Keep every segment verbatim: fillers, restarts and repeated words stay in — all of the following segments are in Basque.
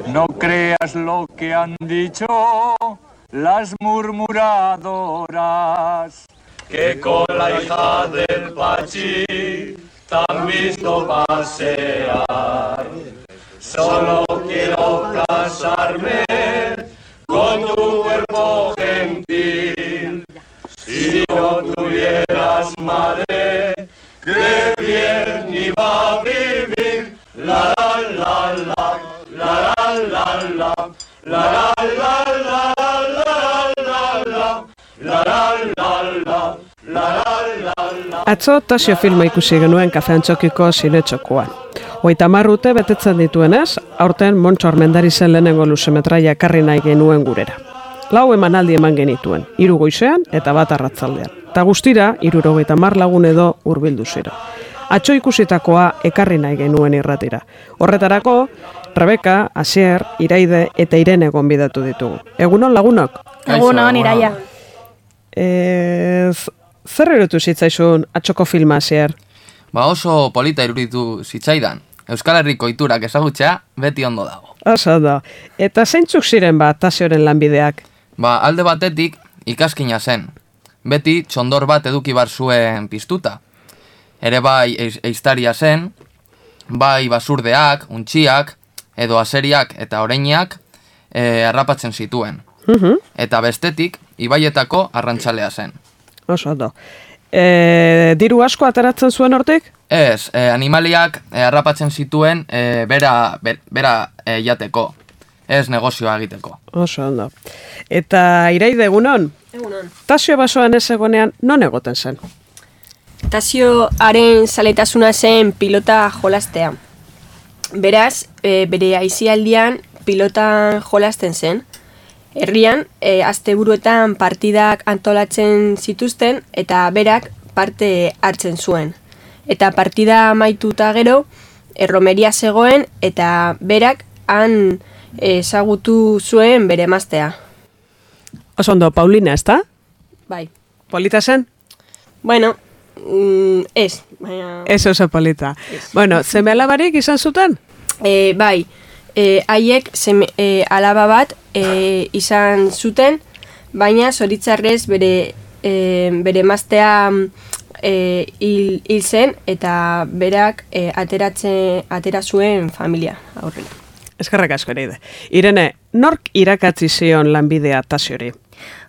No creas lo que han dicho las murmuradoras, que con la hija del Pachi te han visto pasear. Solo quiero casarme con tu cuerpo gentil. Si no tuvieras madre, qué bien iba a vivir. La la la la, la la la la, la la la la, la la la la. Atzo Tasio filma ikusi genuen Kafe Antxokiko zinetxokoan. Hogeita hamar urte betetzen dituenez, aurten Montxo Armendarizen lehenengo luzemetraia ekarri nahi genuen gurera. Lau emanaldi eman genituen, hiru goizean eta bat arratzaldean. Ta guztira, hirurogeita hamar lagun edo hurbildu zero. Atzo ikusitakoa ekarri nahi genuen irratira. Horretarako, Rebeka, Asier, Iraide eta Irene gonbidatu ditugu. Egunon lagunok? Egunon, Iraia. Ez, zer erutu zitzaizun atxoko filma, Asier? Ba oso polita iruditu zitzaidan. Euskal Herriko iturak ezagutzea beti ondo dago. Oso da. Eta zeintzuk ziren ba Tasioren lanbideak? Ba alde batetik ikaskina zen. Beti txondor bat eduki bar zuen piztuta. Ere bai eiztaria zen, bai basurdeak, untxiak, edo aseriak eta oreinak e, harrapatzen zituen. Uh-huh. Eta bestetik, ibaietako arrantxalea zen. Oso da. E, diru asko ateratzen zuen hortik? Ez, e, animaliak e, harrapatzen zituen e, bera, be, bera e, jateko. Ez negozioa egiteko. Oso ondo. Eta Iraide, egunon? Egunon. Tasio basoan ez egonean non egoten zen? Tasioaren zaletasuna zen pilota jolastea. Beraz, e, bere aisialdian pilotan jolasten zen. Herrian, e, asteburuetan partidak antolatzen zituzten eta berak parte hartzen zuen. Eta partida amaituta gero, erromeria zegoen eta berak han ezagutu zuen bere emaztea. Oso ondo, Paulina, ezta? Bai. Polita zen? Bueno, mm, ez. Baina... Ez oso polita. Ez. Bueno, zeme alabarik izan zuten? E, bai, e, haiek seme, e, alaba bat e, izan zuten, baina zoritzarrez bere, e, bere emaztea e, hil, hil zen eta berak e, ateratzen, atera zuen familia aurrera. Eskerrak asko Iraide. Irene, nork irakatzi zion lanbidea Tasiori?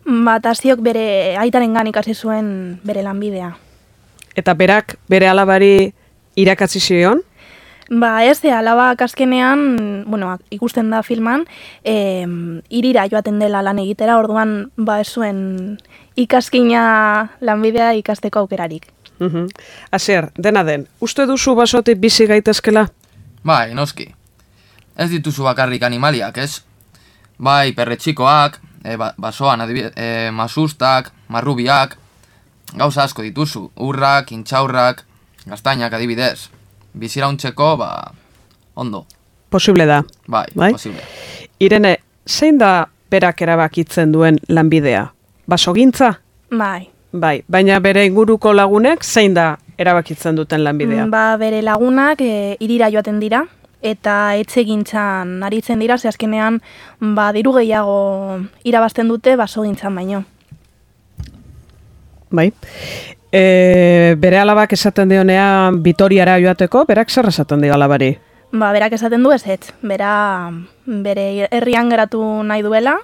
Ba, Tasiok bere aitarengan ikasi zuen bere lanbidea. Eta berak bere alabari irakatzi zion? Ba, ez, alabak azkenean, bueno, ikusten da filman, e, irira joaten dela lan egitera, orduan, ba, ez zuen ikaskina lanbidea ikasteko aukerarik. Uh-huh. Asier, dena den, uste duzu basotik bizi gaitezkela? Bai, noski. Ez dituzu bakarrik animaliak, ez? Bai, perretxikoak, e, ba, basoan adibidez, e, masustak, marrubiak, gauza asko dituzu, urrak, intxaurrak, gaztainak adibidez. Bizirauntzeko, ba, ondo. Posible da. Bai, bai? Posible. Irene, zein da berak erabakitzen duen lanbidea? Basogintza? Bai. Bai, baina bere inguruko lagunek zein da erabakitzen duten lanbidea? Ba, bere lagunak e, irira joaten dira, eta etxegintzan aritzen dira, ze azkenean ba, diru gehiago irabazten dute basogintzan baino. Bai. E, bere alabak esaten dionean Vitoriara joateko, berak zer esaten dio alabari? Ba, berak esaten du ez ez, bera bere herrian geratu nahi duela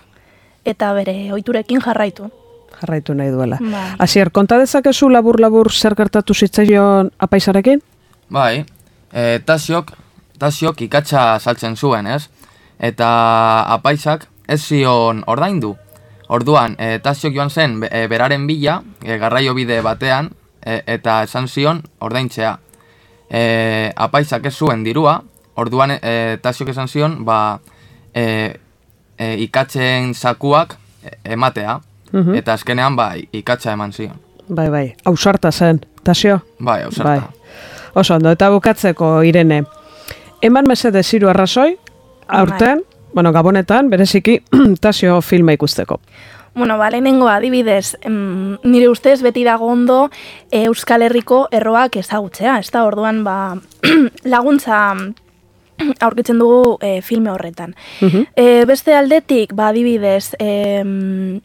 eta bere ohiturekin jarraitu. Jarraitu nahi duela. Bai. Asier, konta dezakezu labur-labur zer gertatu zitzaion apaisarekin? Bai, e, tasiok, tasiok ikatsa saltzen zuen, ez? Eta apaisak ez zion ordaindu. Orduan, e, Tasiok joan zen e, beraren bila, e, garraio bide batean, e, eta esan zion ordaintzea. E, apaisak ez zuen dirua, orduan e, Tasiok esan zion, ba, e, e, ikatzen zakuak ematea, uh-huh. Eta azkenean, ba, ikatza eman zion. Bai, bai, ausarta zen, Tasio? Bai, ausarta. Bai. Oso ondo, eta bukatzeko, Irene, eman mesede ziru arrazoi, aurten, bueno, Gabonetan, bereziki, Tasio filma ikusteko. Bueno, ba, lehenengo adibidez, em, nire ustez beti dago ondo Euskal Herriko erroak ezagutzea, ez da, orduan, ba, laguntza aurkitzen dugu e, filme horretan. Mhm. E, beste aldetik, ba, adibidez, e,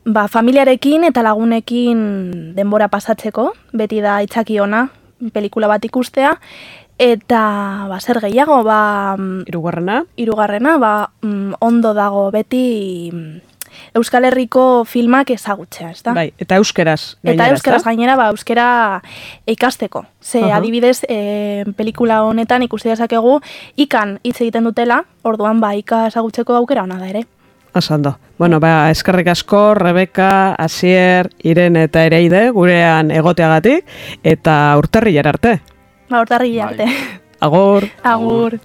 ba, familiarekin eta lagunekin denbora pasatzeko, beti da itzaki ona, pelikula bat ikustea, eta ba, zer gehiago, ba, Hirugarrena? hirugarrena, ba, mm, ondo dago beti mm, Euskal Herriko filmak ezagutzea, ezta? Bai, eta euskeraz gainera, Eta euskeraz ezta? gainera, ba, euskera ikasteko. Ze, Aha. adibidez, e, pelikula honetan ikusi dezakegu ikan hitz egiten dutela, orduan ba, ika ezagutzeko aukera ona da ere. Asando. Bueno, ba, eskerrik asko, Rebeka, Asier, Irene eta Ereide, gurean egoteagatik, eta urtarrilera arte. Ba, urtarri Bai. arte. Agur! Agur.